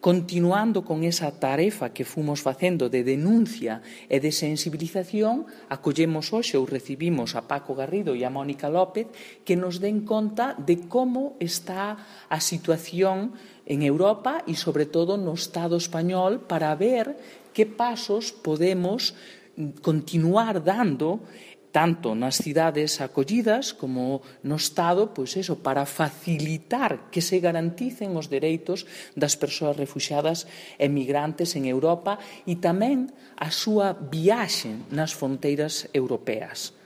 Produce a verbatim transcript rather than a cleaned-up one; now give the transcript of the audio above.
Continuando con esa tarefa que fomos facendo de denuncia e de sensibilización, acollemos hoxe ou recibimos a Paco Garrido e a Mónica López que nos den conta de como está a situación en Europa e, sobre todo, no Estado español para ver que pasos podemos continuar dando tanto nas cidades acollidas como no Estado, pois eso, para facilitar que se garanticen os dereitos das persoas refuxiadas e migrantes en Europa e tamén a súa viaxe nas fronteiras europeas.